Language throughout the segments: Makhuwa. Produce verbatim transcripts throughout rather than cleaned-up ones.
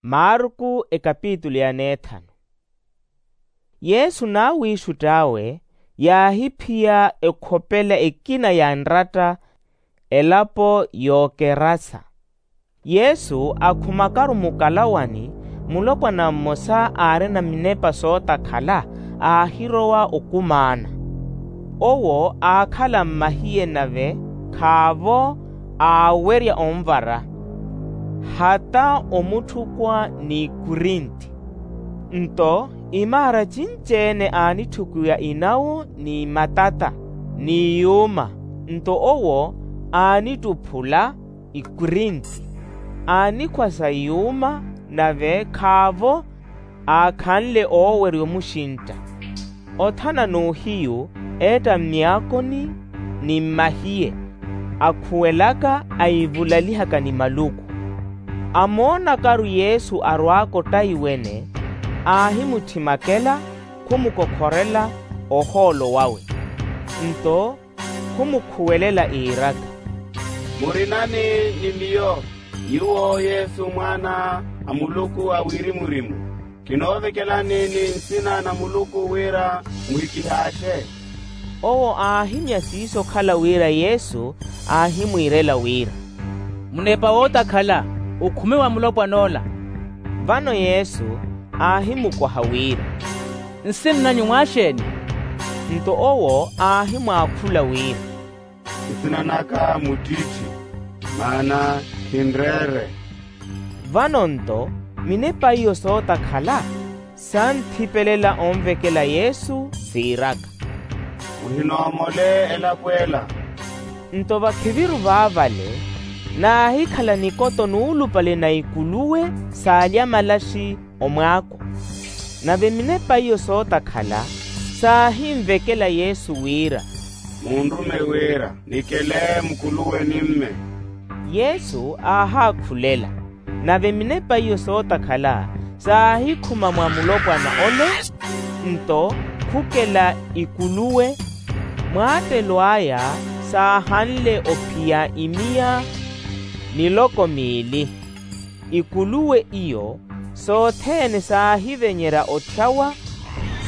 Marku ekapitulu ya neethanu. Yesu n'awiixutt'awe yaahiphiya ekhopela ekina ya nratta elapo y'okerasa. Yesu akhumakaru mukalawani, mulopwana mmosa aarina minepa sootakhala aahirowa okumaana. Owo aakhala mmahiye nave khaavo aawerya onvara, hata omutthukwa n'ikurinti. Nto imaara cinci-ene aanitthukiwa inawo ni matata ni yuuma. Nto owo aanittuphula ikurinti, aanikhwasa yuuma, nave khaavo aakhanle oowerya omuxintta. Othana n'uhiyu eetta mmiyaakoni ni mmahiye, akhuwelaka aivulalihaka ni maluku. Amoonakaru yesu arwaaka ottaiwene, aahimuthimakela, khumukokhorela ohoolo wawe. Nto khumukhuwelela iiraka, muri nani ni miyo? Nyuwo yesu mwaana a muluku a wirimu-rimu, kinoovekelani ni nsina na muluku wira muhikihaaxe. Owo aahimya siiso okhala wira yesu aahimwiirela wira, munepa wootakhala, okhume wa mulopwan'ola. Vano yesu aahimukwaha wira, nsin'anyu mwaaxeeni? Nto owo aahimwaakhula wira, nsin'anaka muttitthi, maana khinreere. Vano nto minepa iyo sootakhala saanthipelela onvekela yesu siiraka, muhinoomole elapo ela. Nto vakhiviru vaavale naahikhala nikoto nuulupale na ikuluwe saalya malaxi omwaako. Nave minepa iyo sootakhala saahinvekela yesu wira, munrume wira nikele mukuluwe ni mme. Yesu aahaakhulela, nave minepa iyo sootakhala saahikhuma mwa mulopwana ole, nto khukela ikuluwe. Mwaattelo aya saahanle ophiya imiya miloko miili. Ikuluwe iyo sothene saahivenyerya otthyawa,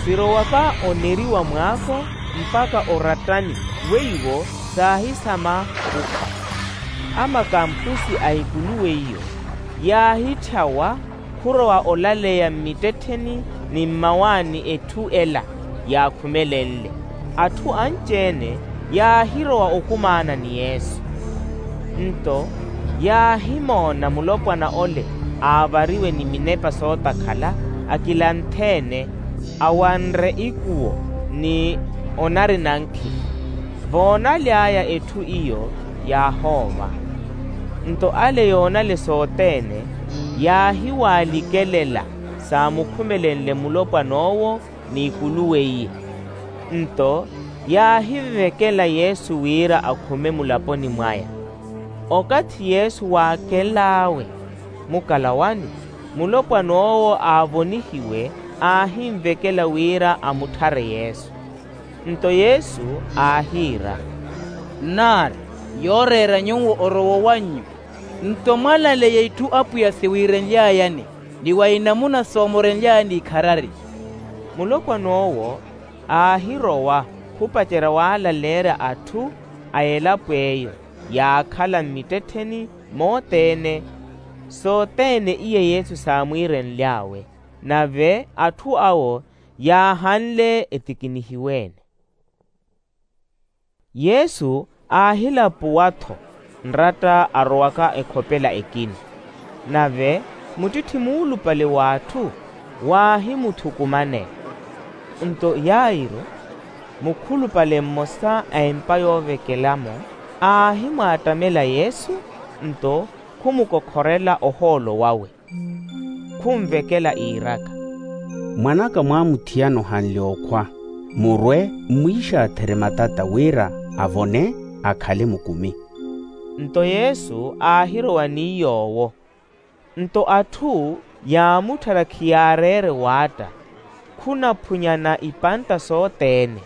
sirowaka oneriwa mwaako mpakha orattani, weiwo saahisama khukhwa. Amakampusi a ikuluwe iyo yaahitthyawa khurowa olaleya mmittettheni ni mmawaani etthu ela yaakhumelenle. Atthu anci-ene yaahirowa okumaana ni yesu. Nto yaahimoona mulopwana ole aavariwe ni minepa sootakhala akilanthe-ene, awanre ikuwo ni onari nankhi. Voonaly'aya etthu iyo yaahoova. Nto ale yoonale sothene yaahiwaalikelela saamukhumelenle mulopwan'owo n'ikuluwe iye. Nto yaahivekela yesu wira akhume mulaponi mwaya. Okathi yesu waakel'awe mukalawani, mulopwan'owo aavonihiwe aahinvekela wira amutthare yesu. Nto yesu aahiira, nnaari yooreera nyuwo orowo wannyu. Nto mwalaleya itthu apwiya siwiirenly'ayani ni wa inamuna soomorenly'ayani ikharari. Mulopwan'owo aahirowa khupacerya waalaleerya atthu a elapo eyo yaakhala mmittettheni mothene sothene iye yesu saamwiirenly'awe. Nave atthu awo yaahanle etikinihiwe-ene. Yesu aahilapuwa-tho nratta arowaka ekhopela ekina. Nave muttitthi muulupale w'atthu waahimuthukumanela. Nto yairo mukhulupale mmosa a empa yoovekelamo aahimwaattamela yesu, nto khumukokhorela ohoolo wawe, khunvekela iiraka, mwan'aka mwaamuthiyana ohanle okhwa, murwe mmwiixaatherye matata wira avone akhale mukumi. Nto yesu aahirowa ni yoowo. Nto atthu yaamutthara khiyaareere waatta, khunaphunyana ipantta sothene.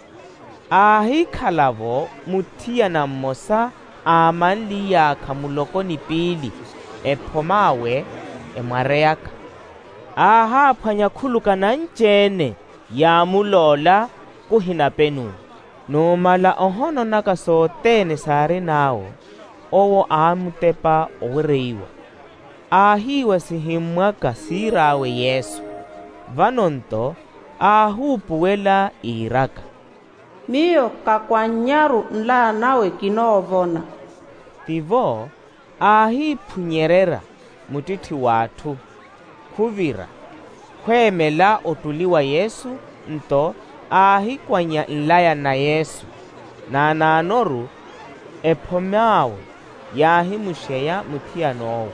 Aahikhala-vo muthiyana mmosa aamanliyaakha muloko ni piili, ephom'awe emwareyaka. Aahaaphwanya khuluka nanci-ene yaamuloola, kuhinapenuwa. Numala ohononaka sothene saarin'awo, owo aamutepa owereiwa, aahiiwa sihimmwaka siir'awe yesu. Vano-nto aahuupuwela iiraka, miyo kakwanyaru nlaya nawe kinoovona. Tivo aahiiphunyererya muttitthi w'atthu, khuvira, khweemela ottuli wa yesu. Nto aahikwanya nlaya na yesu, naanaanoru ephom'awe yaahimuxeya muthiyan'owo.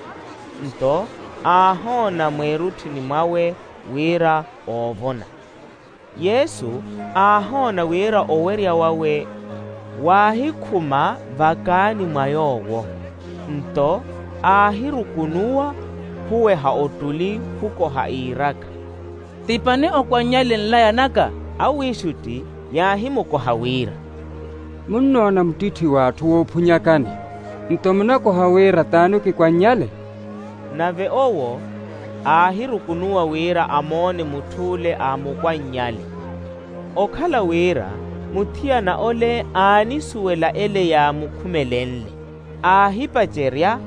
Nto aahoona mweerutthini mwawe wira oovona. Yesu aahoona wira owerya wawe waahikhuma vakaani mwa yoowo. Nto aahirukunuwa khuweha ottuli khukoha iiraka, ti pani okwannyale nlaya naka? Awiixutti yaahimukoha wira, munnoona muttitthi w'atthu woophunyakani, nto munakoha wira t'ani okikwannyale? Nave owo aahirukunuwa wira amoone mutth'ule aamukwannyale. Okhala wira muthiyana ole aanisuwela ele yaamukhumelenle, aahipacerya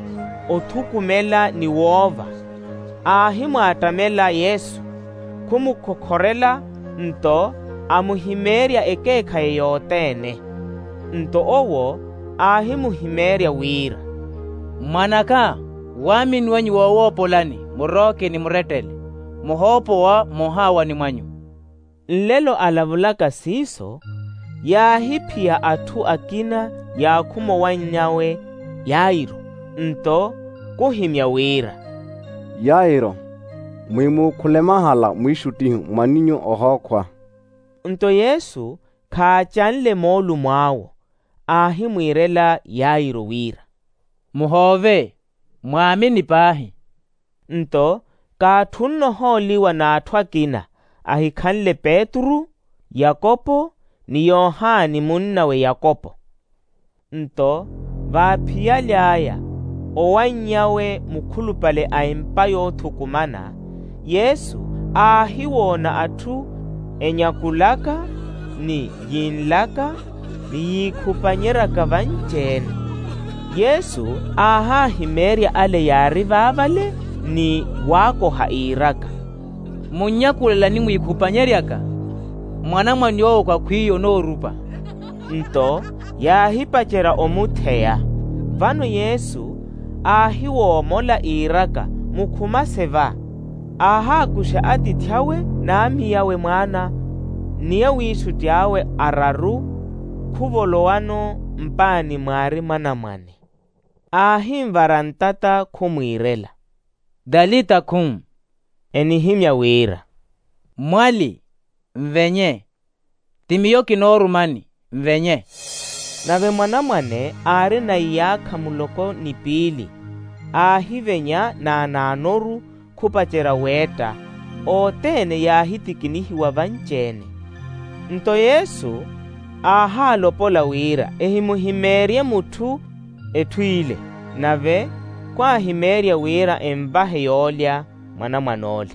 othukumela ni woova, aahimwaattamela yesu, khumukhokhorela, nto amuhimeerya ekeekhayi yothene. Nto owo aahimuhimeerya wira, mwan'aka, waamini wanyu woowoopolani, murooke ni murettele, muhoopowa moohaawani mwanyu. Nlelo alavulaka siiso, yaahiphiya atthu akina yaakhuma owanny'awe yairo. Nto khuhimya wira, yairo, mwimuukhule mahala mwiixuttihu mwan'inyu ohookhwa. Nto yesu khaacanle moolumo awo, aahimwiirela yairo wira, muhoove, mwaamini paahi. Nto kaatthunno ohooliwa n'atthu akina ahikhanle petru, yakopo, ni yohani munnawe yakopo. Nto vaaphiyaly'aya owanny'awe mukhulupale a empa yoothukumana, yesu aahiwoona atthu enyakulaka, ni yinlaka, ni yiikhupanyeryaka vanci-ene. Yesu aahaahimeerya ale yaari vaavale, ni waakoha iiraka, munnyakulelani mwiikhupanyeryaka? Mwanamwane owo kakhwiiya onoorupa. Nto yaahipacerya omutheya. Vano yesu aahiwoomola iiraka, mukhumase va, aahaakuxa atiithi awe n'amiyawe mwaana, ni awiixutti awe araru, khuvolowano mpaani mwaari mwanamwane. Aahinvara ntata khumwiirela, talita khum, enihimya wira, mwali, nvenye, ti miyo kinoorumani, nvenye. Nave mwanamwane aarina iyaakha muloko ni piili, aahivenya naanaanoru, khupacerya weetta, othene yaahitikinihiwa vanci-ene. Nto yesu aahaalopola wira ehimuhimeerye mutthu etthu ile, nave khwaahimeerya wira envahe yoolya mwanamwan'ole.